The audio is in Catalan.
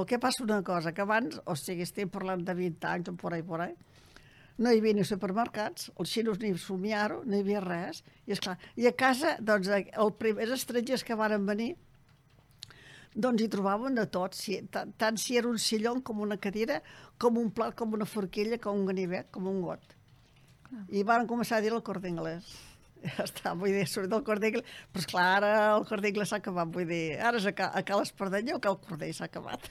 El que passa una cosa, que abans, o sigui, estem parlant de 20 anys o por ahí, no hi havia ni supermercats, els xinos ni somiar-ho, no hi havia res, i esclar, i a casa, doncs, els primers estrangers que van venir, doncs hi trobaven de tot, tant si era un sillon com una cadira, com un plat, com una forquilla, com un ganivet, com un got. I van començar a dir el Corte Inglés. Ja està, vull dir, surt del Corte Inglés, però esclar, ara el Corte Inglés s'ha acabat, vull dir, ara és a Cal Espardenya o Cal Cordell s'ha acabat.